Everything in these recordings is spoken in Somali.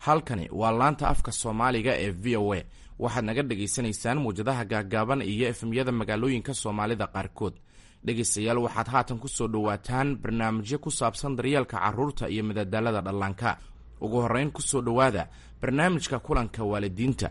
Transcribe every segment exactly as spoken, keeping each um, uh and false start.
Halkani waa laanta afka Soomaaliga ee V O A. Waxaad naga dhagaysanaysaan muwjadaha gaaggaaban iyo F M-yada magaalooyinka Soomaalida qaarkood. Dhegaystayaal, waxaad haatan ku soo dhowaataan barnaamijyo ku saabsan daryeelka carruurta iyo madadaalada dhallaanka. Ugu horrayn, ku soo dhowaada barnaamijka kulanka waalidiinta.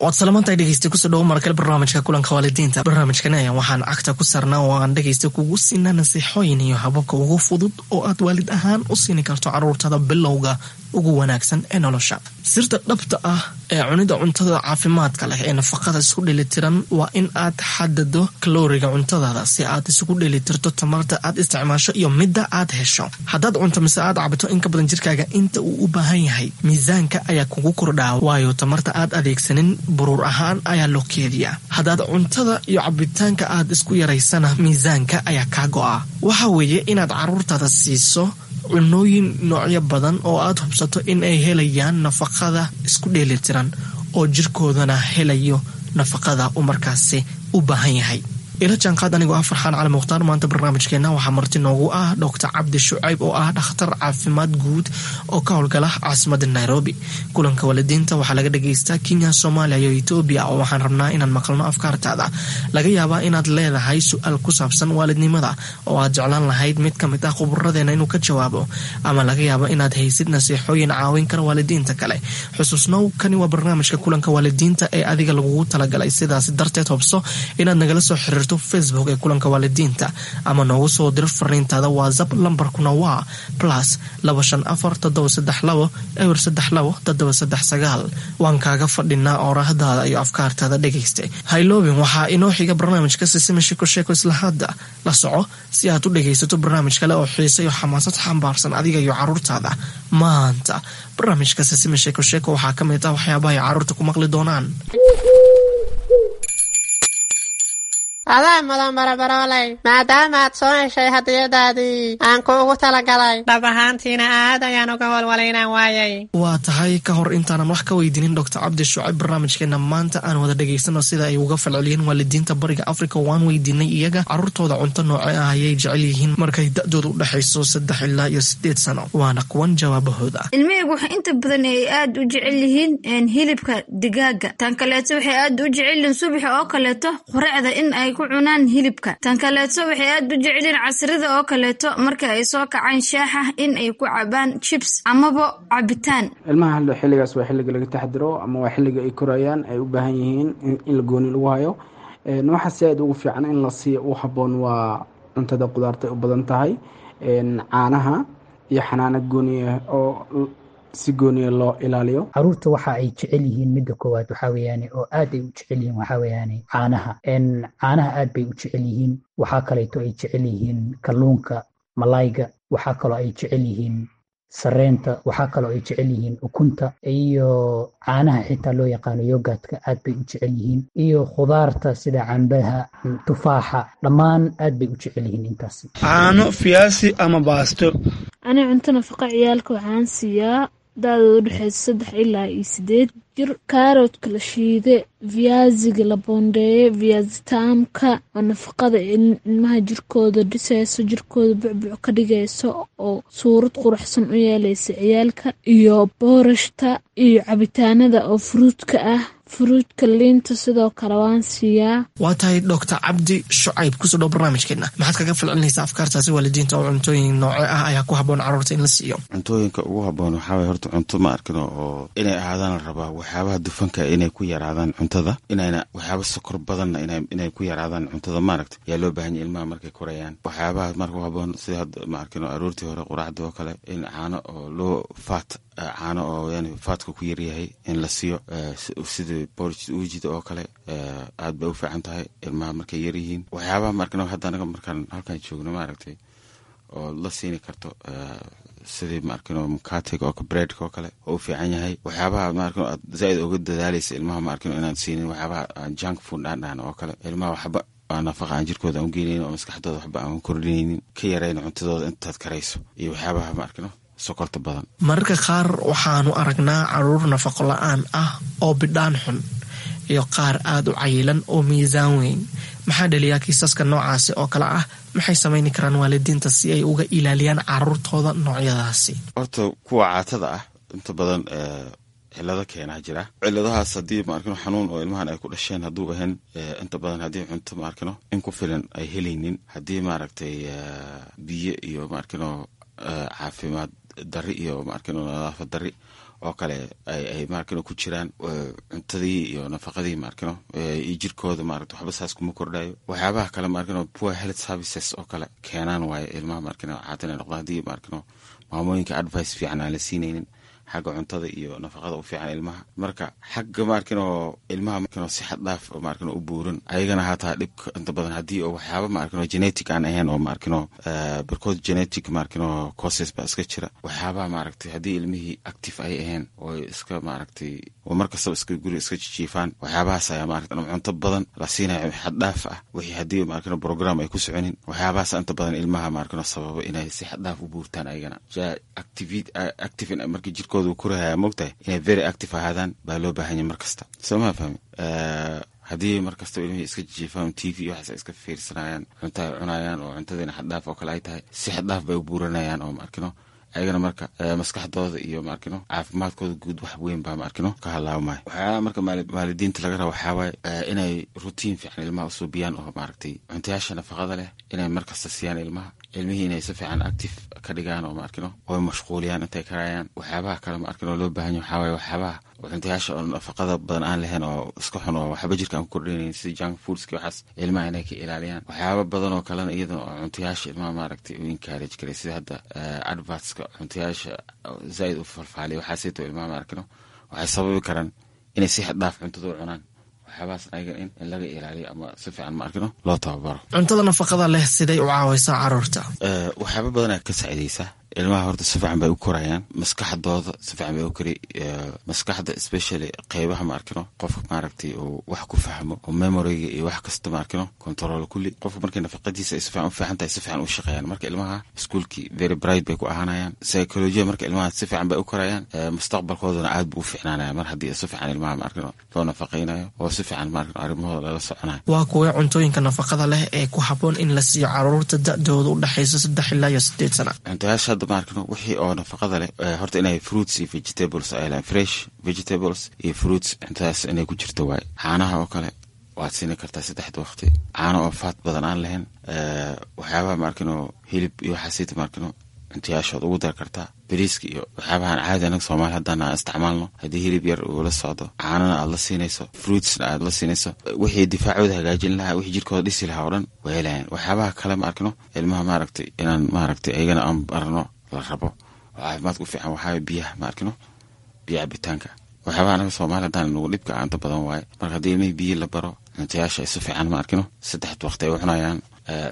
Waad salamantahay, dhegeysta. Kusoo dhawo markale barnaamijka kulanka waalidiinta. Barnaamijkani ayaan waxaan cagta ku saarnaa oo aan dhegeysta kugu siinaa nasiixooyin iyo hababka ugu fudud oo aad waalid ahaan u siini karto caruurtada bilowga ugu wanaagsan ee nolosha. Sirta dhabta ah ee cunida cuntada caafimaadka leh ee nafaqada isku dheelitiran waa in aad xadado kalooriga cuntadaada si aad isugu dheelitirto tamarta aad isticmaasho iyo midda aad hesho. Haddaad cunto mise aad cabto in ka badan jirkaaga inta uu u baahan yahay, miisaanka ayaa kugu kordhaa, waayo tamarta aad adeegsanin buruur ahaan ayaa loo keediyaa. Haddaad cuntada iyo cabitaanka aad isku yaraysana, miisaanka ayaa kaa go'a. Waxa weeye inaad caruurtaada siiso cunooyin noocyo badan oo aad hubsato in ay helayaan nafaqada isku dheelitiran oo jirkoodana helayo nafaqada uu markaasi u baahan yahay. Ila jaanqaad anigoo ah Farxaan Cali Mukhtaar. Maanta barnaamijkeena waxaa marti noogu ah Doctor Cabdi Shucayb oo ah dhakhtar caafimaad guud oo ka howlgala caasimada Nairobi. Kulanka waalidiinta waxaa laga dhagaystaa Kenya, Soomaaliya iyo Etoobiya, oo waxaan rabnaa inaan maqalno afkaartaada. Laga yaabaa inaad leedahay su-aal ku saabsan waalidnimada oo aad jeclaan lahayd mid ka mid ah khuburadeena inuu ka jawaabo, ama laga yaabo inaad haysid nasiixooyin caawin kara waalidiinta kale. Xusuusnow, kani waa barnaamijka kulanka waalidiinta ee adiga lagugu talagalay. Sidaas darteed, hubso inaad nagala soo xiriirto Facebook ee kulanka waalidiinta ama noogu soo diro fariintaada WhatsApp. Lambarkuna waa plus laba shan afar toddoba saddex labo eber saddex labo toddoba saddex sagaal. Waan kaaga fadhinaa oorahdaada iyo afkaartaada, dhegayste. Hayloobin, waxaa inoo xiga barnaamijka Sisima Sheko Sheeko. Isla hadda la soco si aad u dhegaysato barnaamij kale oo xiise iyo xamaasad xambaarsan adiga iyo caruurtaada. Maanta barnaamijka Sisima Sheeko Sheeko waxaa ka mid ah waxyaabaha ay caruurta ku maqli doonaan. Adaa mudan, barabarooley, maadaama aad soo heshay hadiyadaadii aan kuugu talagalay. Dhab ahaantiina aad ayaan uga walwalay inaan waayay. Waa tahay. Ka hor intaanan wax ka weydiinin Doctor Cabdi Shucayb barnaamijkeena maanta, aan wada dhegaysano sida ay uga falceliyeen waalidiinta Bariga Africa. Waan weydiinay iyaga caruurtooda cunto nooce ah ayay jecel yihiin markay da-dooda u dhexayso saddex ilaa iyo sideed sano. Waana kuwan jawaabahooda. Ilmahaygu waxay inta badan ay aad u jecel yihiin hilibka digaaga. Tan kaleeto, waxay aad u jecel yihiin subaxa oo kaleeto quraacda in ay ku cunaan hilibka. Tan kaleeto, waxay aad u jecel yihiin casrida oo kaleeto marka ay soo kacaan shaaxa in ay ku cabaan chips amaba cabitaan. Ilmaha xilligaas waa xilliga laga taxadiro ama waa xilliga ay korayaan, ay u baahan yihiin in la gooni lagu hayo. Waxa si aad ugu fiican in la siiyo u habboon waa cuntada qudaarta u badan tahay, caanaha iyo xanaano gooniya oo si gooniya loo ilaaliyo. Caruurta waxa ay jecel yihiin midda koowaad waxaa weeyaane oo aad ay u jecel yihiin waxaa weeyaane caanaha. Caanaha aad bay u jecel yihiin. Waxaa kaleeto ay jecel yihiin kalluunka, malayga. Waxaa kaloo ay jecel yihiin sareenta. Waxaa kaloo ay jecel yihiin ukunta iyo caanaha xitaa loo yaqaano yogurtka, aad bay u jecel yihiin, iyo khudaarta sida cambaha, tufaaxa, dhammaan aad bay u jecel yihiin intaasi. Caano, fiyaasi ama baasto. Ani cunto nafaqa ciyaalka waxaan siiyaa da-dooda udhexeysa saddex ilaa iyo sideed jir kaaroodka la shiide, viaziga la boondeeye, viazi taamka oo nafaqada ilmaha jirkooda dhiseyso, jirkooda bucbuc ka dhigayso oo suurad quruxsan u yeeleysa ciyaalka, iyo boorashta iyo cabitaanada oo fruitka ah, fruitka, liinta sidoo kale waan siiyaa. Waa tahay. Doctor Cabdi Shucayb, kusoo dhow barnaamijkeena. Maxaad kaga falcelinaysaa afkaartaasi waalidiinta oo cuntooyin nooce ah ayaa ku habboon carruurta in la siiyo? Cuntooyinka ugu habboon waxaa waye horta cunto ma arkino oo inay ahaadaan la rabaa waxyaabaha dufanka inay ku yaraadaan cuntada, inayna waxyaaba sokor badanna inay ku yaraadaan cuntada, maaragta, yaa loo baahan yahy ilmaha markay korayaan. Waxyaabaha marka u habboon sida hadda, ma arkino, aroortii hore quraacda oo kale in caano oo loo faat, caano oo yani fatka ku yaryahay in la siiyo, sidii porridge uujida oo kale, aad bay u fiican tahay ilmaha markay yaryihiin. Waxyaabaha maarkino hadda anaga markaan halkaan joogno, maaragtay, oo la siini karto sidii, maarkino, mukatiga oo breadka oo kale oo u fiican yahay. Waxyaabaha, maarkino, aad zaaid uga dadaalaysa ilmaha, maarkino, inaan siinin waxyaabaha junk food aan dhahan oo kale, ilmaha waxba nafaqa aan jirkooda aan ugeynaynin oo maskaxdooda waxba aan kordhinaynin, ka yarayna cuntadooda intaad karayso, iyo waxyaabaha, maarkino, sokorta badan. Mararka qaar waxaanu aragnaa caruur nafaqo la-aan ah oo bidhaan xun. Iyo qaar aada u cayilan oo miisaan weyn. Maxaa dhaliyaa kiisaska noocaasi oo kale ah? Maxay samayni karaan waalidiinta si ay uga ilaaliyaan caruurtooda noocyadaasi? Horta kuwa caatada ah inta badan cilado keenaa jira. Ciladahaas haddii maarkino xanuun oo ilmahan ay ku dhasheen hadduu ahayn, inta badan haddii cunto maarkino in ku filan ay helaynin, haddii maaragtay biyo iyo maarkino caafimaad dari iyo maarkino nadaafad dari oo kale ay maarkino ku jiraan cuntadii iyo nafaqadii maarkino iyo jirkooda, maaragta waxba saas kuma kordhayo. Waxyaabaha kale maarkino poor health services oo kale keenaan waaye ilmaha maarkino caata inay noqdaan, haddii maarkino maamooyinka advice fiican aan la siinaynin xagga cuntada iyo nafaqada u fiican ilmaha. Marka xagga maarkino ilmaha maarkino si xad dhaaf maarkino u buuran ayagana hataa dhibka inta badan haddii oo waxyaaba maarkino genetic aan ahayn oo maarkino barkood genetic maarkino causes baa iska jira. Waxyaabaha maaragtay haddii ilmihii active ay ahayn oo iska maaragtay oo mar kastaba iska guri iska jijiifaan, waxyaabahaas ayaa maaragtay ama cunto badan la siinayo xad dhaaf ah, wixii haddii maarkino program ay ku soconin, waxyaabahaas inta badan ilmaha maarkino sababa inay si xad dhaaf u buurtaan ayagana. Active active markii jirkooda uu korahaya, moogtahay inay very active ahaadaan baa loo baahan yahay mar kasta, soo maa fahmi? Haddii mar kastaba ilmihii iska jijiifaan, T V iyo waxaas ay iska fiirsanayaan, cunto ay cunayaan oo cuntadiina xaddhaaf oo kale ay tahay, si xaddhaaf bay u buuranayaan oo maarkino ayagana marka maskaxdooda iyo maarkino caafimaadkooda guud wax weyn baa maarkino ka halaabmaya. Waxyaaba marka waalidiinta laga raba waxaa waaye inay routine fiican ilmaha usuubiyaan oo maaragtay cuntayaasha nafaqada leh inay markasta siiyaan ilmaha, ilmihii inay si fiican active ka dhigaan oo maarkino oo mashquuliyaan intay karayaan. Waxyaabaha kale maarkino loo baahan yahay waxaa waaye waxyaabaha cuntayaasha oo nafaqada badan aan lahayn oo iska xun oo waxba jirka aan ku kordhinayn, sida junk foodski, waxaas ilmaha inay ka ilaaliyaan. Waxyaaba badan oo kalena iyadana oo cuntayaasha ilmaha maaragtay u encourage karay, sida hadda advertska cuntayaasha zaaid u falfaaliya, waxaasito ilmaha maarkino waxay sababi karaan inay si xad dhaaf cuntada u cunaan. Waxyaabahaas ayaga in in laga ilaaliyo ama si fiican maarkino loo tababaro. Cuntada nafaqada leh siday u caawaysaa caruurta? Waxyaaba badanaa ka saacideysa ilmaha. Horta si fiican bay u korayaan, maskaxdooda si fiican bay u kori, maskaxda especially qeybaha maarkino qofka maaragtay uu wax ku fahmo oo memoryga iyo wax kasta maarkino control kulli. Qofka markay nafaqadiisa ay si fiican u fiican tahay, si fiican u shaqeeyaan. Marka ilmaha iskuulkii very bright bay ku ahaanayaan, psychology marka ilmaha si fiican bay u korayaan, mustaqbalkoodana aad buu u fiicnaanaya mar haddii si fiican ilmaha maarkino loo nafaqeynayo oo si fiican maarkino arrimahooda lala soconayo. Waa kuwee cuntooyinka nafaqada leh ee ku habboon in la siiyo caruurta da-dooda u dhexaysa saddex ilaa iyo sideed sana? Cuntayaasha hadda maarkino wixii oo nafaqada leh horta inay fruits iyo vegetables ay lehan, fresh vegetables iyo fruits, cuntadaas inay ku jirto waaye. Caanaha oo kale waad siini kartaa saddexda waqti, caano oo fat badan aan lahayn. Waxyaabaha maarkino hilib iyo waxaasita maarkino cuntayaashood ugu dar kartaa. Bariiska iyo waxyaabahan caadi anaga Soomaali haddaan aan isticmaalno, haddii hilib yar uu la socdo, caanana aad la siinayso, fruitsna aad la siinayso, wixii difaacooda hagaajin lahaa, wixii jirkooda dhisi lahaa oo dhan way helayaan. Waxyaabaha kale ma arkino ilmaha maaragtay inaan maaragtay ayagana aan barno la rabo oo caafimaadka u fiican waxaa biyaha ma arkino, biyo cabitaanka. Waxyaabaha anaga Soomaali haddaan nagu dhibka inta badan waaye. Marka haddii ilmihii biyo la baro, cuntayaasha ay si fiican ma arkino saddex waqti ay u cunayaan,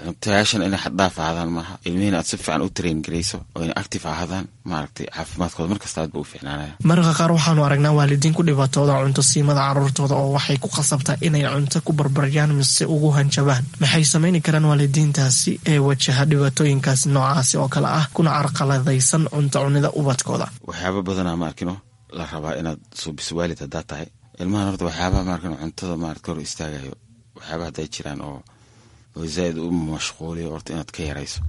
cuntayaashan inay xaddhaaf ahaadaan maaha, ilmihiina aad si fiican u train garayso oo inay active ahaadaan, maaragtay caafimaadkooda markasta aad ba u fiicnaanaya. Mararka qaar waxaanu aragnaa waalidiin ku dhibaatooda cunto siimada caruurtooda oo waxay ku khasabtaa inay cunto ku barbaryaan mise ugu hanjabaan. Maxay samayni karaan waalidiintaasi ee wajaha dhibaatooyinkaas noocaasi oo kale ah kuna carqaladaysan cunto cunida ubadkooda? Waxyaaba badanaa ma arkino la rabaa inaad suubiso waalid haddaad tahay ilmahan. Horta waxyaabaha maarkino cuntada maarata hor istaagayo, waxyaabaha hadday jiraan oo oo zaaid u mashquuliyo, horta inaad ka yarayso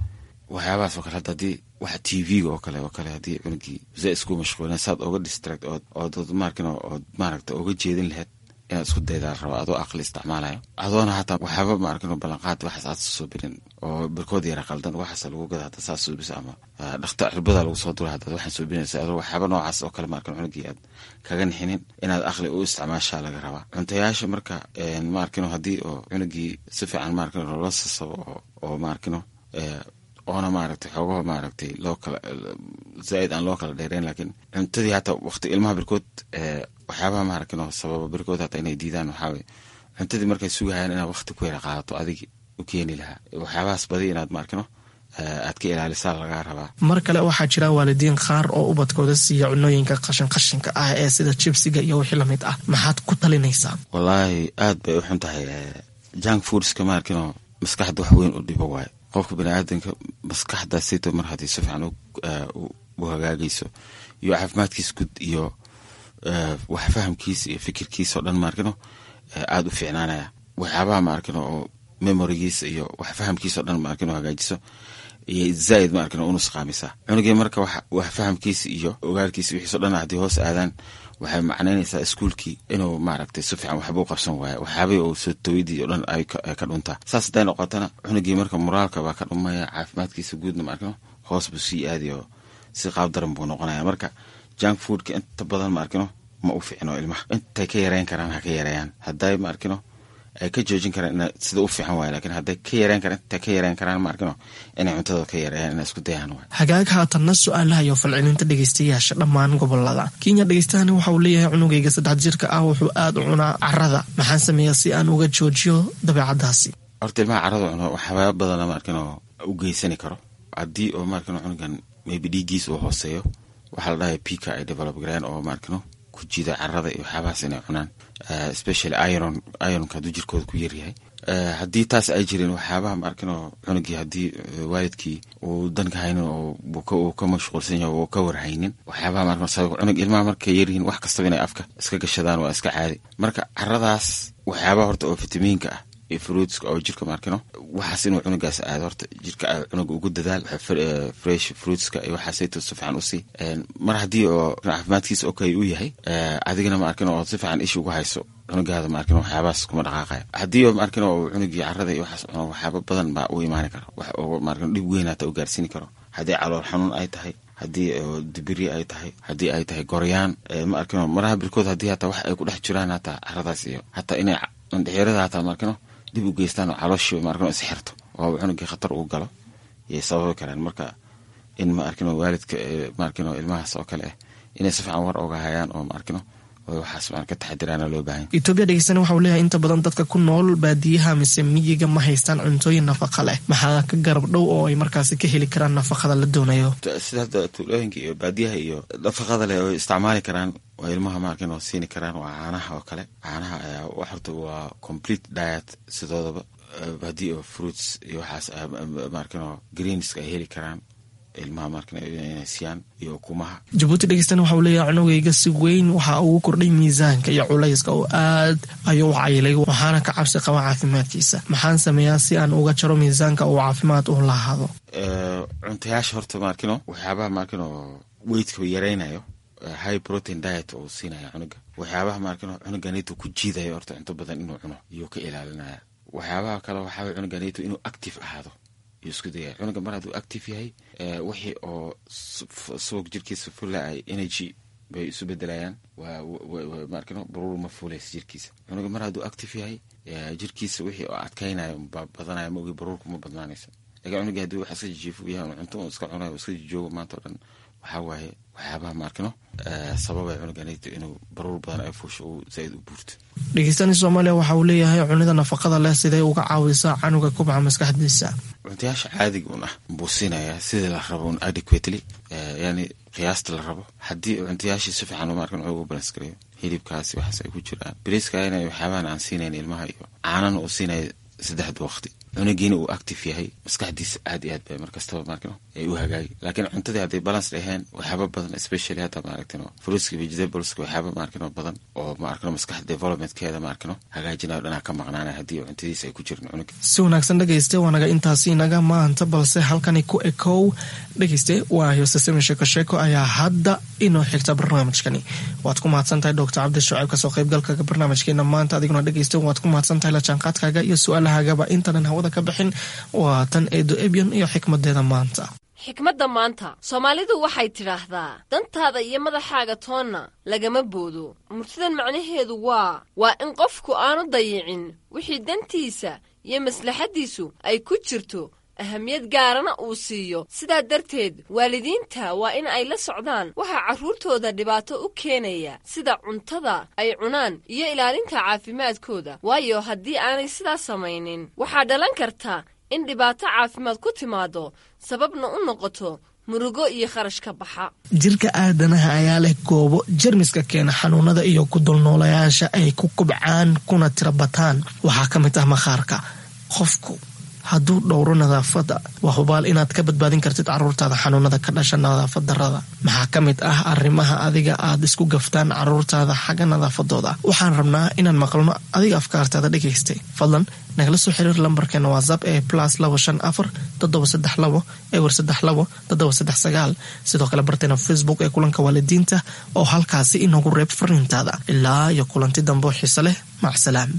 waxyaabahaas oo kale. Hadda haddii waxa T V-ga oo kale oo kale haddii cunugii zaaid isku mashquulina, saad oga distract ood ood maarkino ood maaragta oga jeedin lahayd inaad isku daydaa la rabaa, adoo aqli isticmaalayo, adoona hataa waxyaaba maarkino ballanqaad waxaas aad suubinin oo barkood yara qaldan waxaas lagu gada hadda saas suubisa ama dhakta cirbada lagu soo dura haddaad waxaan suubinaysa, adoo waxyaaba noocaas oo kale maarkino cunugii aad kaga nixinin, inaad aqli u isticmaashaa laga rabaa cuntayaasha. Marka maarkino haddii oo cunugii si fiican maarkino loola sasabo oo oo maarkino oona maaragtay xoogaho maaragtay loo kala zaaid aan loo kala dheereyn, laakiin cuntadii hataa waqti ilmaha barkood waxyaabaha maaragtay sababa barkood hataa inay diidaan waxaa waye cuntadii markay sugahayaan inaad waqti ku yara qaadato adigi u keeni lahaa. Waxyaabahaas badi inaad maarkino aad ka ilaalisaa lagaa rabaa. Mar kale waxaa jira waalidiin qaar oo ubadkooda siiya cunooyinka qashin qashinka ah ee sida jibsiga iyo wixii lamid ah. Maxaad ku talinaysaa? Wallaahi aad bay u xun tahay junk foodska. Maarkino maskaxda wax weyn u dhibo waaye. Qofka baniaadanka maskaxdaasito mar haddii si fiican u hagaagayso iyo caafimaadkiisa guud iyo wax fahamkiisa iyo fikirkiisa oo dhan maarkino aada u fiicnaanaya. Waxyaabaha ma arkin oo memorigiisa iyo wax fahamkiisa o dhan ma arkin oo hagaajiso iyo zaaid ma arkin oo unusqaamisa cunugii. Marka wax fahamkiisa iyo ogaalkiisa wixiiso dhan haddii hoos aadaan, waxay macnaynaysaa iskuulkii inuu maaragtay si fiican waxba u qabsan waayo, waxyaabihii uu soo tawidii o dhan ay ka dhuntaa. Saas hadday noqotana cunugii marka moraalka baa ka dhumaya, caafimaadkiisa guudna ma arkino hoos buu sii aadayo, si qaab daran buu noqonaya. Marka junk foodka inta badan ma arkino ma u fiicno ilmaha. Intay ka yareyn karaan ha ka yareeyaan, hadday ma arkino ay ka joojin karaan ina sida u fiican waay, lakiin hadday ka yareyn karaan, intay ka yareyn karaan ma arkino inay cuntada ka yareeyaan, inay isku dayaan waay. Hagaag, haatanna su-aalaha iyo falcelinta dhegeystayaasha dhammaan gobolada Kenya. Dhegeystahani waxa uu leeyahay, cunugayga saddex jirka ah wuxuu aada u cunaa carada, maxaan sameeyaa si aan uga joojiyo dabeecadaasi? Horta ilmaha carada cuno waxyaaba badana ma arkino u geysani karo. Haddii oo ma arkino cunugan maybe dhiiggiis uu hooseeyo, waxaa la dhahaya pika ay develop gareen oo ma arkino ku jida carada iyo waxyaabahaas inay cunaan, especially iron, ironka hadduu jirkooda ku yaryahay. Haddii taas ay jirin, waxyaabaha ma arkino cunugii haddii waalidkii uu danka haynin oo uu ka mashquulsan yahay oo ka warhaynin waxyaabaha ma arkino sabab cunug, ilmaha markay yaryihiin wax kastaba inay afka iska gashadaan waa iska caadi. Marka caradaas waxyaabaha horta oo fitamiinka ah iyo fruitska oo jirka maarkino waxaas inuu cunugaas aado, horta jirka cunuga ugu dadaal fresh fruitska iyo waxaasayto si fiican usii. Mar haddii oo caafimaadkiisa okay uu yahay, adigana ma arkin oo si fiican isha ugu hayso cunugaada, ma arkin waxyaabahaas kuma dhaqaaqaya. Haddii oo ma arkin oo cunugii carada iyo waxaas cuno, waxyaaba badan baa u imaani karo, wax oo ma arkin dhib weyn hata u gaarsiini karo. Haddii calool xanuun ay tahay, haddii dibiri ay tahay, haddii ay tahay goryaan ma arkino maraha birkood, haddii hataa wax ay ku dhex jiraan hataa caradaas iyo hataa inay indhexirada hataa ma arkino dib u geystaan oo calooshii ma arkino isxirto oo cunugii khatar uu galo yay sababi karaan. Marka in ma arkino waalidka ma arkino ilmahaas oo kale ah inay si fiican war oga hayaan oo ma arkino oo waxaas ma ka taxadiraana loo baahan. Etoobiya dhegeystana waxa uu leeyahay, inta badan dadka ku nool baadiyaha mise miyiga ma haystaan cuntooyin nafaqa leh, maxaa ka garab dhow oo ay markaasi ka heli karaan nafaqada la doonayo? Sida hadda tuulooyinka iyo baadiyaha iyo nafaqada leh oo isticmaali karaan oo ilmaha ma arkin oo siini karaan waa caanaha oo kale. Caanaha ayaa wax horta waa complete diet sidoodaba. Haddii oo fruits iyo waxaas ma arkin oo greenska ay heli karaan ilmaha ma arkin inay siiyaan iyo ukumaha. Jabuuti dhegeystana waxa uu leeyahay, cunugayga si weyn waxa ugu kordhay miisaanka iyo culayska oo aad ayuu u cayilay, waxaana ka cabsi qaba caafimaadkiisa, maxaan sameeyaa si aan uga jaro miisaanka uu caafimaad u lahaado? Cuntayaasha horta ma arkino waxyaabaha ma arkino weightka yareynayo, high protein diet oo siinaya cunuga, waxyaabaha ma arkino cunuganito ku jiidayo horta cunto badan inuu cuno iyuu ka ilaalinaya. Waxyaabaha kale waxaa cunuganito inuu active ahaado iyo isku dayaya. Cunuga mar hadduu active yahay, wixii oo subag jirkiisa fula ay energy bay isu bedelayaan, waa ma arkino baruur ma fuulaysa jirkiisa. Cunuga mar hadduu active yahay, jirkiisa wixii oo adkaynayo baa badanaya, ma ogi baruurku ma badnaanaysa. Lakin cunugii haddii wax iska jijiifo yahay, cunto uu iska cunayo, iska jijoogo maanta o dhan, waxaa waaye waxyaabaha ma arkino sababay cunuganito inuu baruur badan ay fuusho uu zaaid u buurto. Dhegeystani Soomaaliya waxa uu leeyahay, cunida nafaqada leh siday uga caawisaa canuga kubca maskaxdiisa? Cuntayaasha caadiga un ah buu siinayaa sidii la rabo un adequately, yani qiyaasta la rabo. Haddii cuntayaashii si fiican ma arkin ugu balance gareeyo, hilibkaasi waxaas ay ku jiraan, bariiska waxyaabahan aan siinayn ilmaha iyo caanana uu siinayo saddexda waqti, cunugiina uu active yahay, maskaxdiisa aad iyo aad bay markastaba maarkino ay u hagaagi. Laakiin cuntadii hadday balance dhaheen, waxyaaba badan, especially hadda maaragtino fruitska, vegetables, waxyaaba maarkino badan oo maarkino maskaxda developmentkeeda maarkino hagaajinayo dhanaa ka maqnaanaya haddii cuntadiisa ay ku jirin cunuga. Si wanaagsan dhegeyste, waanaga intaasi inaga maanta, balse halkani ku ekow dhegeyste. Waa hoosesemi sheeko sheeko ayaa hadda inoo xigta barnaamijkani. Waad ku mahadsan tahay Doctor Cabdi Shucayb kasoo qaybgalkaga barnaamijkeena maanta. Adiguna dhegeyste waad ku mahadsan tahay la jaanqaadkaaga iyo su-aalahaagaba. Intaanan hawada ka bixin, waa tan Eedo Ebyon iyo xikmadeeda maanta. Xikmadda maanta, Soomaalidu waxay tidhaahdaa, dantaada iyo madaxaaga toonna lagama boodo. Murtidan macnaheedu waa waa in qofku aanu dayicin wixii dantiisa iyo maslaxaddiisu ay ku jirto, ahamiyad gaarana uu siiyo. Sidaa darteed waalidiinta waa in ay la socdaan waxaa carruurtooda dhibaato u keenaya, sida cuntada ay cunaan iyo ilaalinta caafimaadkooda, waayo haddii aanay sidaas samaynin waxaa dhalan karta in dhibaato caafimaad ku timaado, sababna u noqoto murugo iyo kharash ka baxa. Jirka aadanaha ayaa leh goobo jermiska keena xanuunada iyo ku dulnoolayaasha ay ku kubcaan kuna tira bataan. Waxaa ka mid ah maqaarka. Qofku hadduu dhowro nadaafadda, waa hubaal inaad ka badbaadin kartid caruurtaada xanuunada ka dhasha nadaafad darrada. Maxaa ka mid ah arrimaha adiga aad isku gaftaan caruurtaada xagga nadaafadooda? Waxaan rabnaa inaan maqalno adiga afkaartaada dhegaystay. Fadlan nagala soo xiriir lambarkeena WhatsApp ee plus labo shan afar toddoba saddex labo ewer saddex labo toddoba saddex sagaal. Sidoo kale barteena Facebook ee Kulanka Waalidiinta oo halkaasi inoogu reeb fariintaada. Ilaa iyo kulanti dambe oo xiise leh, macsalaam.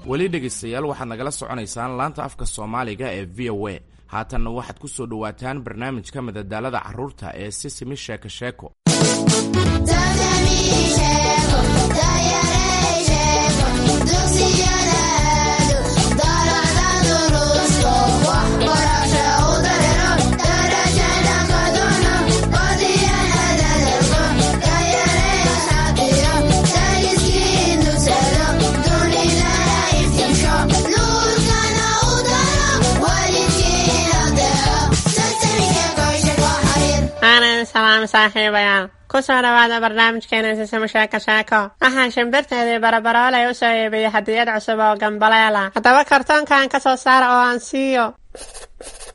Weli dhegaystayaal, waxaad nagala soconaysaan laanta afka Soomaaliga ee V O A. Haatanna waxaad ku soo dhowaataan barnaamijka madadaalada carruurta ee Sisimi Sheeko Sheeko. Aanan salaam saaxiibayaal, ku soo dhawaada barnaamijkeena Sisimo Sheeko Sheeko. Waxaan shimbirteedii Barabaroolay u soo iibiyey hadiyad cusub oo gambaleela. Haddaba kartoonkan ka soo saara oo aan siiyo.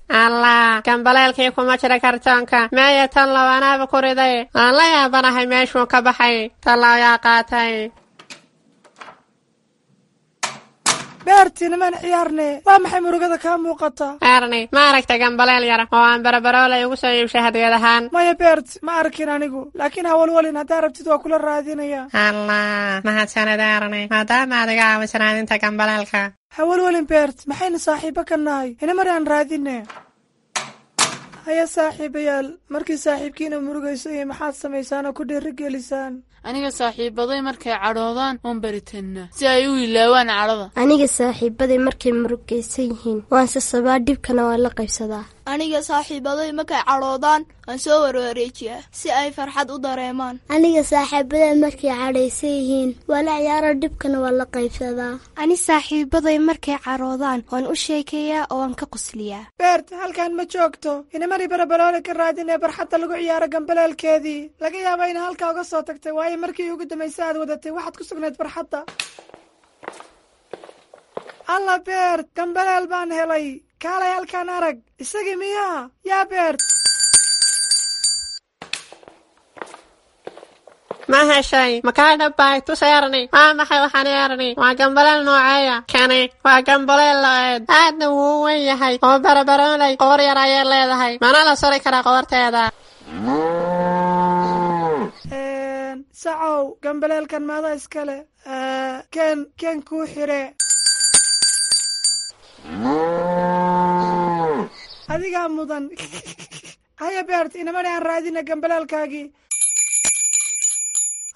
Allah, gambaleelkii kuma jira kartoonka. Meeya tan low? Anaaba ku riday. Waan la yaabanahay meeshuu ka baxay. Tallow yaa qaatay? Beertii, nimaan ciyaarne. Waa maxay murugada kaa muuqata? Erni, ma aragta gambaleel yar oo aan Barabaroolay ugu soo iibshay hadiyad ahaan? Maya Beert, ma arkin anigu, laakiin hawalwalin, haddaa rabtid waa kula raadinaya. Allah, mahadsanid Erni, maadaama aad iga caawiso raadinta gambaleelka. Hawalwalin Beert, maxaynu saaxiibo ka nahay? Inamar aan raadine. Haya saaxiibayaal, markii saaxiibkiina murugayso iyo maxaad samaysaan oo ku dhiirigelisaan? Aniga saaxiibaday markay cadhoodaan waan baritannaa si ay u ilaawaan cadhada. Aniga saaxiibaday markay murugaysan yihiin waan sasabaa, dhibkana waan la qaybsadaa. Aniga saaxiibaday markay cadhoodaan waan soo warwareejiyaa si ay farxad u dareemaan. Aniga saaxiibaday markay cadhaysan yihiin waa la ciyaaro, dhibkana waan la qaybsadaa. Ani saaxiibaday markay cadhoodaan waan u sheekeeyaa oo waan ka qosliyaa. Beert, halkan ma joogto. Inamari Barabaroole ka raadinee barxadda lagu ciyaaro gambaleelkeedii. Laga yaaba ina halkaa uga soo tagtay, waayo markii ugu dambaysa aad wadatay waxaad ku sugnayd barxadda. Alla Beert, gambaleel baan helay. Kaalay halkaan arag. Isagii miyaa yaa Beert? Ma heshay? Ma kaa dhabbahay? Tus Erni. Waa maxay waxaan Erni? Waa gambaleel nooceeya kani? Waa gambaleel lo'eed, aadna wuu u weyn yahay oo Barabaroolay qoor yar ayay leedahay, mana la suri karaa qoorteeda. Sacow, gambaleelkan maada iskale? Ken ken kuu xire. Adigaa mudan. Haya Beert, inamani aan raadina gambaleelkaagii.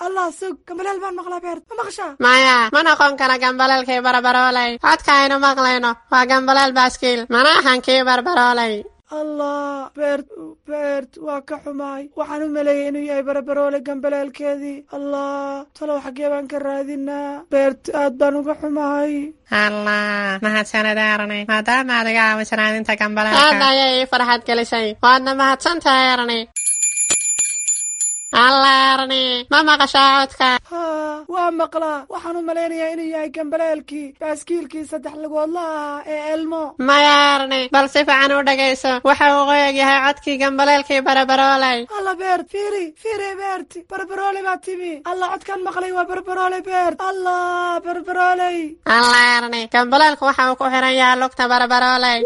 Allah, sug, gambaleel baan maqlaa. Beert, ma maqashaa? Maya, ma noqon kara gambaleelkii Barabaroolay. Codka aynu maqlayno waa gambaleel baaskiil, mana ahan kii Barbaroolay. Allah Beert, Beert, waa ka xumaay. Waxaan u maleeyey inuu yahay Barabaroole gambaleelkeedii. Allah, talow xaggee baan ka raadinaa? Beert, aad baan uga xumahay. Allah, mahadsanid Erni, maadaama aad iga caawiso raadinta gambaleelka. Aad ayay ii farxad gelisay, waadna mahadsan tahay Erni. Allah Erni, ma maqashaa codka? Haa, waa maqlaa. Waxaan u malaynayaa inuu yahay gambaleelkii baaskiilkii saddex lugoodla ahaa ee Elmo. Maya Erni, bal si fiican u dhegayso. Waxa uu qoyag yahay codkii gambaleelkii Barabaroolay. Alla Beert, fiiri fiiri. Beert, Barbaroole baa timi. Alla, codkan maqlay waa Barbaroole. Beert, allah, Barbarooley. Allah Erni, gambaleelku waxa uu ku xiran yahay lugta Barabaroolay.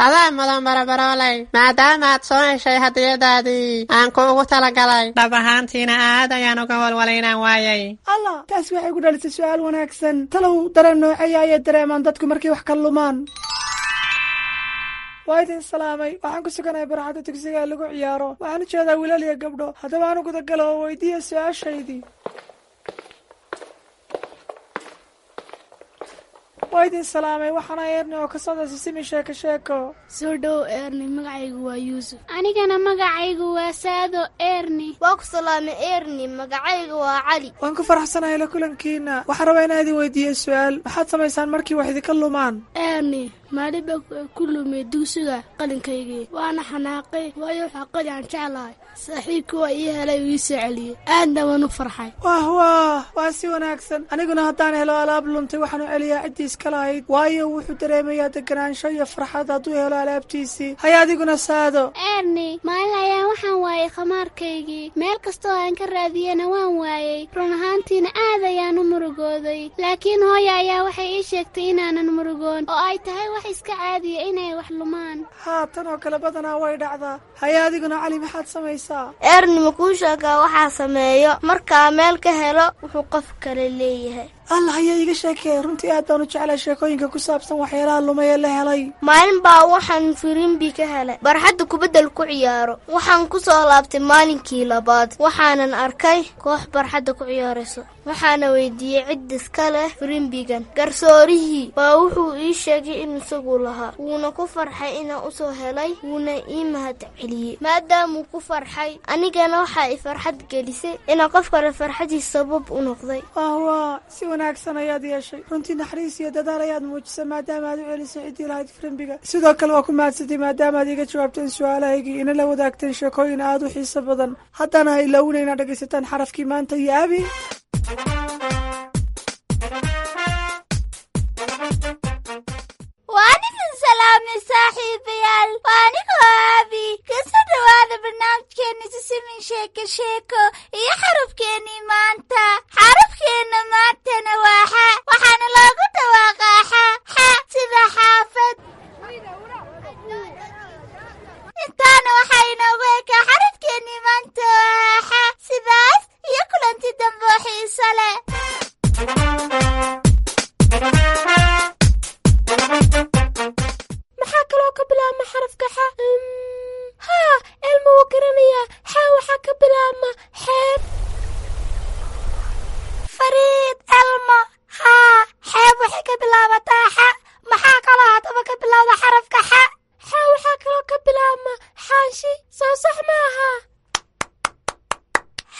Adaa mudan Barabarooley, maadaama aad soo heshay hadiyadaadii aan kuugu talagalay. Dhab ahaantiina aad ayaan uga walwalay inaan waayay. Allah, taas waxay ku dhalisay su'aal wanaagsan. Talow dareen nooceeya ayay dareemaan dadku markay wax ka lumaan? Waa idin salaamay. Waxaan ku suganahay barxadda dugsiga ee lagu ciyaaro. Waxaan u jeedaa wiilal iyo gabdho. Haddaba aan u gudagalo oo weydiiya su-aashaydii. Waa idin salaamay. Waxaana Eerni oo ka socda Sisimi Sheeko Sheeko. Soo dhow Eerni, magacaygu waa Yuusuf. Anigana magacaygu waa Saado Eerni. Waa ku salaamay Eerni, magacaygu waa Cali. Waan ku faraxsanahay la kulankiina. Waxaan rabaa inaan idin weydiiyo su-aal. Maxaad samaysaan markii wax idinka lumaan? Eerni, maalin baa ku lumay dugsiga qalinkaygii, waana xanaaqay, waayo waxaa qali aan jeclahay. Saaxiibkii waa ii helay oo ii soo celiyey, aadna waan u farxay. Wah wah, waa si wanaagsan. Aniguna haddaan helo alaab luntay, waxaan u celiyaa ciddii iska lahayd, waayo wuxuu dareemayaa deganaansho iyo farxad hadduu helo alaabtiisii. Haya adiguna Saado. Eerni, maalin ayaan waxaan waayay khamaarkaygii. Meel kastoo aan ka raadiyena waan waayey. Run ahaantiina aad ayaan u murugooday, laakiin hooya ayaa waxay ii sheegtay inaanan murugoon oo ay tahay wax iska caadiya inay wax lumaan. Haa, tan oo kale badanaa way dhacdaa. Haya adiguna Cali, maxaad samaysaa? Eerni, ma kuu sheegaa waxaa sameeyo markaa meel ka helo wuxuu qof kale leeyahay? Allah, ayaa iiga sheekeeya. Runtii aad baan u jeclay sheekooyinka ku saabsan waxyaalaha lumay ee la helay. Maalin baa waxaan firimbi ka helay barxadda kubaddal ku ciyaaro. Waxaan ku soo laabtay maalinkii labaad, waxaanan arkay koox barxadda ku ciyaarayso. Waxaana weydiiyey cid iska leh firimbigan. Garsoorihii baa wuxuu ii sheegay in isagu lahaa, wuuna ku farxay inaan usoo helay, wuuna ii mahad celiyey. Maadaamuu ku farxay, anigana waxaa i farxad gelisay inaan qof kale farxadiis sabab u noqday. Wah, si wanaagsan ayaad yeeshay. Runtii naxariis iyo dadaal ayaad muujisay maadaama aad u celisay ciddii lahayd firimbiga. Sidoo kale waa ku mahadsatay maadaama aad iiga jawaabteen su-aalahaygii, ina la wadaagteen sheekooyin aad u xiiso badan. Haddana ha ilaawina inaad dhegaysataan xarafkii maanta iyo Abi. Waan idin salaamay saaxiibayaal, waa anigoo Aabi. Kasoo dhowaada barnaamijkeena Sisimin Sheeko Sheeko iyo xarafkeennii maanta. Xarafkeenna maantana waa xa, waxaana loogu dhawaaqaa xa xa sida xaafad. Intaana waxaa inoogu ekaa xarafkeennii maanta oo ahaa xa. Sidaas iyo kulanti dambe oo xiiso leh. Maxaa kaloo ka bilaabma xarafka xa? Haa, Elma wuu garanayaa. Xa waxaa ka bilaabma xeeb. Fariid, Elmo, haa, xeeb waxay ka bilaabataa xa. Maxaa kaloo haddaba ka bilowda xarafka xa? Xa waxaa kaloo ka bilaabma xaashi, soo sax maaha?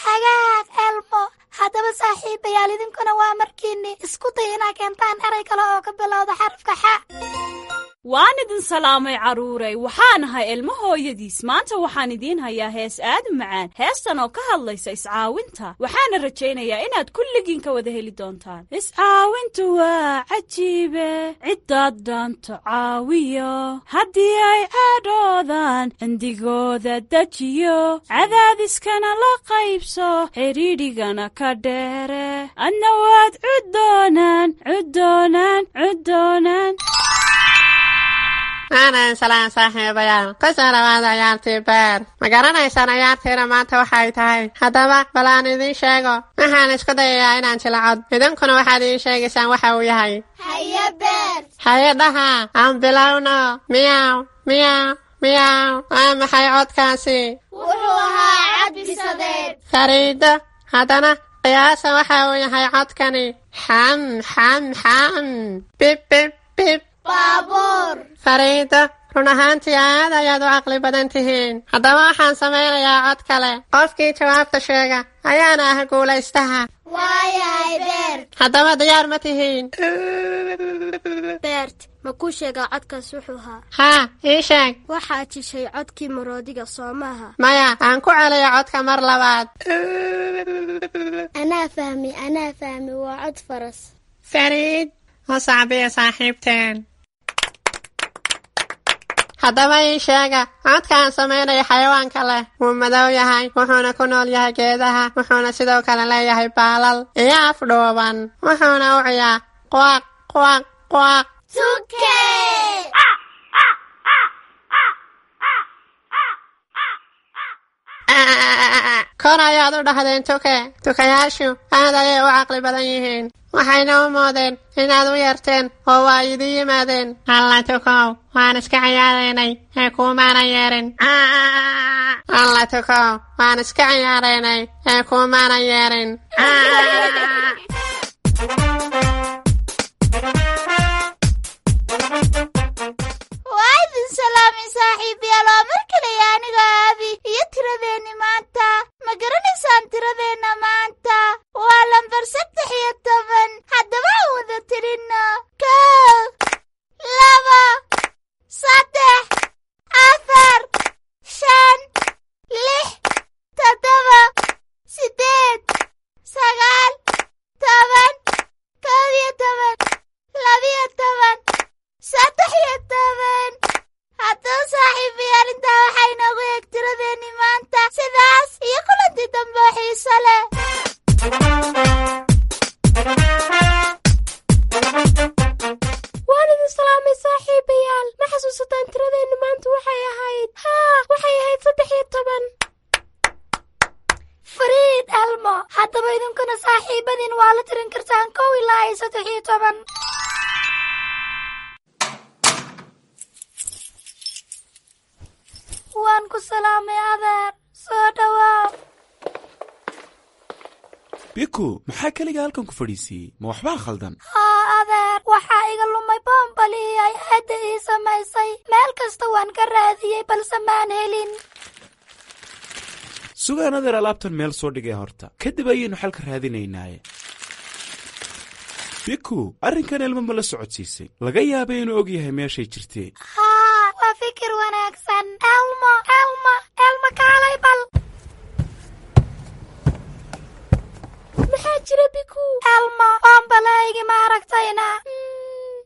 Hagaag Elmo. Haddaba saaxiibayaal, idinkuna waa markiinni isku day inaa keentaan eray kale oo ka bilowda xarafka xa. Waan idin salaamay carruuray. Waxaan ahay Ilmo hooyadiis. Maanta waxaan idiin hayaa hees aad u macaan, heestan oo ka hadlaysa iscaawinta. Waxaana rajaynayaa inaad kulligiin ka wada heli doontaan. Iscaawintu waa cajiibe, ciddaad dhaanto caawiyo, haddii ay cadhoodaan cindigooda dejiyo, cadaadiskana la qaybso, xidhiidhigana ka dheere, adna waad cuddoonaan cuddoonaan cuddoonaan. Waanan salaan saaxiibayaal, kusoo dhawaada ciyaartii beer. Ma garanaysaan ciyaartiina maanta waxay tahay? Haddaba bal aan idiin sheego. Waxaan isku dayayaa inaan jilacod, idinkuna waxaad ii sheegaysaan waxa uu yahay. Haye Beer. Haye dhaha, aan bilowno. Miyaw miyaw miyaw, waa maxay codkaasi? Wuxuu ahaa cad bisadeed. Fariido, haddana qiyaasa waxa uu yahay codkani. Xam xam xam, bib bib bib. Baabuur. Fariido, run ahaantii aad ayaad u caqli badan tihiin. Haddaba waxaan samaynayaa cod kale. Qofkii jawaabta sheega ayaana ah guulaystaha. Waayahay Beert. Haddaba diyaar ma tihiin? Beert, ma kuu sheegaa codkaas wuxuu ahaa? Haa, ii sheeg. Waxaad jishay codkii maroodiga, soo maaha? Maya, aan ku celiyo codka mar labaad. Anaa fahmi, anaa fahmi, waa cod faras. Fariid, u sacbiya saaxiibteen. Haddaba ii sheega codka aan samaynayo xayawaanka leh. Wuu madow yahay, wuxuuna ku nool yahay geedaha, wuxuuna sidoo kale leeyahay baalal iyo af dhuuban, wuxuuna u ciyaa quaq quaq quaq. Tuke. Kor ayaad u dhahdeen tuke. Tukayaashu aad ayay u caqli badan yihiin, waxayna u moodeen inaad u yeerteen oo waa idin yimaadeen. Alla tukow, waan iska ciyaaraynay ee kuumaana yeerin. Alla tukow, waan iska ciyaaraynay ee kuumaana yeerin. Waa idin salaamay saaxiibayaal, waa mar kale aniga Aabi iyo tiradeenni maanta. Ma garanaysaan tiradeenna maanta? Waa lambar saddex iyo toban. Haddaba aan wada tirinno: kow, laba, saddex, afar, shan, lix, toddoba, siddeed, sagaal, toban, kow iyo toban, labiyo toban, saddex iyo toban. Haddaba saaxiibayaal, intaa waxaa inoogu eeg tiradeenni maanta. Sidaas iyo kulantii dambe oo xiiso leh. Waan idin salaamay saaxiibayaal. Ma xasuusataan tiradeenna maanta waxay ahayd? Haa, waxay ahayd saddex iyo toban. Fariid Elmo, haddaba idinkuna saaxiibadiin waa la tirin kartaan kow ilaa iyo saddex iyo toban. Waan ku salaamay adeer, soo dhawaa. Biku, maxaa keliga halkan ku fadhiisiiyey? Ma waxbaa khaldan? Haa adeer, waxaa iga lumay boombalihii ay aadda ii samaysay. Meel kasta waan ka raadiyey balse maan helin. Sugaan adeer, alaabtan meel soo dhigay horta, kadib ayaynu xalka raadinaynaaye. Biku, arrinkan Elmo ma la socodsiisay? Laga yaabay inuu og yahay meeshay jirtee. Haa, waa fikir wanaagsan. Elmo, Elmo, Elmo, kaalay bal. Maxaa jira Biku? Elmo, boombalahaygi ma aragtayna?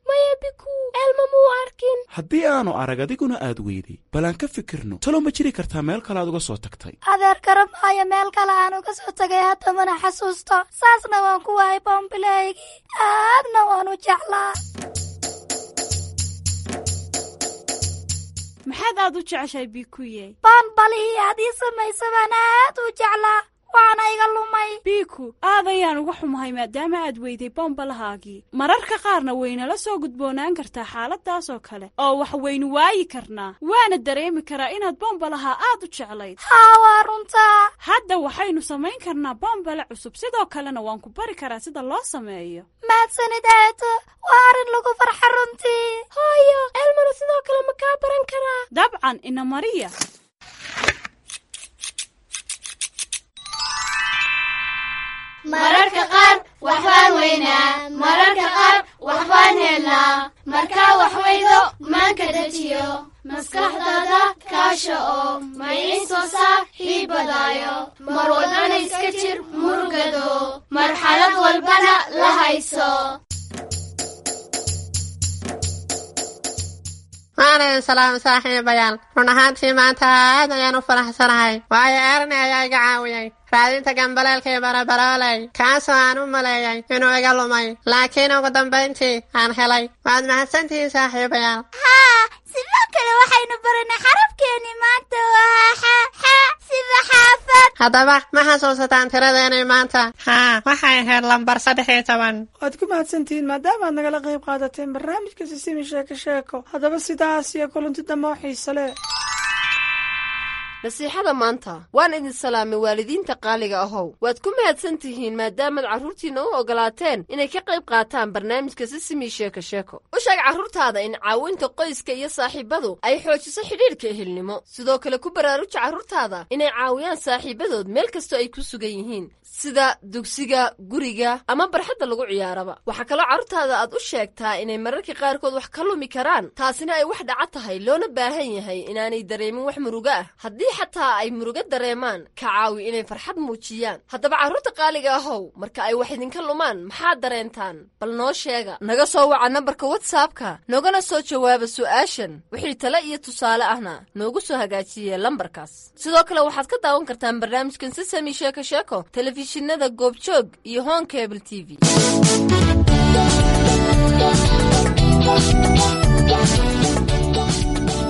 Maya Biku, Elmo muu arkin. Haddii aanu arag adiguna aad weyday, bal aan ka fikirno. Talow ma jiri kartaa meel kale aad uga soo tagtay? Adeer, garamaayo meel kale aan uga soo tagay, hadda mana xasuusto. Saasna waan ku waayay boombilahaygii, aadna waan u jeclaa. Maxaad aad u jeceshahay Bikuye? Boonbalihii aad ii samaysa baan aad u jeclaa, waana iga lumay. Biku, aad ayaan uga xumahay maadaama aad weyday bombalahaagii. Mararka qaarna waynala soo gudboonaan kartaa xaaladaas oo kale oo wax waynu waayi karnaa, waana dareemi karaa inaad bombalaha aad u jeclayd. Haa, waa runtaa. Hadda waxaynu samayn karnaa bombale cusub, sidoo kalena waan ku bari karaa sida loo sameeyo. Mahadsanid aato, waa arrin lagu farxa runtii. Hooyo, Elmona sidoo kale ma kaa baran karaa? Dabcan, ina mariya. Mararka qaar waxbaan weynaa, mararka qaar waxbaan helnaa. Markaa wax weydo maanka dejiyo, maskaxdaada kaasha oo maynin soo saaxiibadaayo. Mar walbana iska jir murugado, marxalad walbana la hayso. Waan idin salaamay saaxiibayaal. Run ahaantii maanta aad ayaan u faraxsanahay, waayo Erni ayaa iga caawiyey raadinta gambaleelkii barabarooley, kaasoo aan u maleeyay inuu iga lumay, laakiin ugu dambayntii aan helay. Waad mahadsantihiin saaxiibayaal. Haa, sidoo kale waxaynu baranay xarafkeenii maanta waa xa, xa sida xaafad. Haddaba ma xasuusataan tiradeenii maanta? Haa, waxay ahayd lambar saddex iyo toban. Waad ku mahadsantihiin maadaama aad nagala qayb qaadateen barnaamijka Sisimi Sheeko Sheeko. Haddaba sidaas iyo kulanti dambe oo xiise leh. Nasiixada maanta. Waan idin salaamay waalidiinta qaaliga ahow. Waad ku mahadsan tihiin maadaamaad carruurtiinna u ogolaateen inay ka qayb qaataan barnaamijka Sisimi Sheeko Sheeko. U sheeg carruurtaada in caawinta qoyska iyo saaxiibadu ay xoojiso xidhiidhka ehelnimo. Sidoo kale ku baraaruja carruurtaada inay caawiyaan saaxiibadood meel kastoo ay ku sugan yihiin, sida dugsiga, guriga ama barxadda lagu ciyaaraba. Waxaa kaloo carruurtaada aad u sheegtaa inay mararka qaarkood wax ka lumi karaan, taasina ay wax dhaca tahay, loona baahan yahay inaanay dareemin wax murugo ah. Haddii xataa ay murugo dareemaan, ka caawi inay farxad muujiyaan. Haddaba carruurta qaaliga ahow, marka ay wax idinka lumaan maxaad dareentaan? Bal noo sheega. Naga soo waca nambarka WhatsAppka, noogana soo jawaaba su'aashan. Wixii tale iyo tusaale ahna noogu soo hagaajiye lambarkaas. Sidoo kale waxaad ka daawan kartaan barnaamijkan Sisami Sheeko Sheeko telefishinada Goobjoog iyo Hon Cable T V.